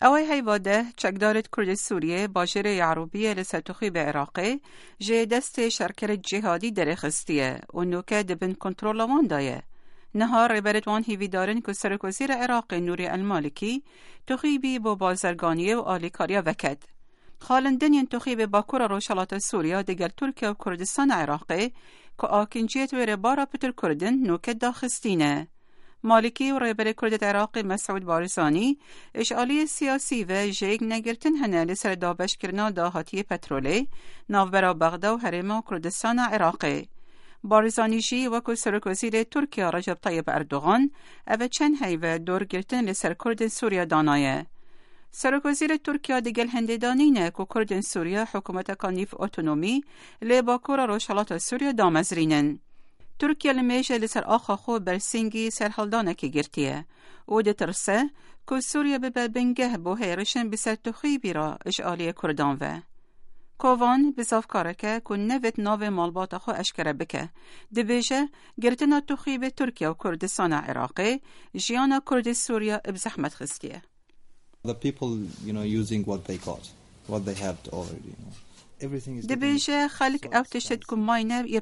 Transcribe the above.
ئەوەی هەیڤا 10 چەکدارێت کوردê Sûriyê bajêrê Yarûbiyê li ser Tuxîbê Iraqê ji destê şerkerê cîhadî derêxistiye û nûke di bin kontrola wan de ye. Niha rêberê wan hêvîdarin ku Serokwezîrê Iraqê Nûrî El-Malikî Tuxîbî bo bazirganiyê û alîkariya veket. Xalên din yên Tuxîbê Bakura Rojhilata Sûriya digel Tirkiye û Kurdistana Iraqê ku akinciyet wê rêbara pitir Kurdin nûke daxistîne. Malikî û rêberê Kurdê Iraqê Mesûd Barzanî ji aliyê siyasî ve jêk negirtin hene li ser dabeşkirina dahatiyê petrolê navbera Bexda û Herêma Kurdistana Iraqê. Barzanî jî wekû Serokwezîrê Tirkiya Recep Tayyip Erdogan ev çend heyve dorgirtin li ser Kurdên Sûriya danaye. Serokwezîrê Tirkiya digel hindê danîne ku Kurdên Sûriya hikûmeteka nîv otonomî lê Bakura Rojhilata Sûriya damezrînin. Tirkiye li mêjê li ser axa xwe bersîngî serhildanekê girtiye û ditirse ku Sûriye bibe bingeh bo hêrişên bi ser Tuxîbî re ji aliyê Kurdan ve. Kovan bi zavkareke ku nevêt navê malbata xwe eşkere bike. Dibêje girtina Tuxîbê Tirkiye û Kurdistana Iraqê jiyana Kurdê Sûriya bi zehmet xistiye. The people using what they got, what they have already. Everything is Dibêje xelk ew tiştê ku mayne yê.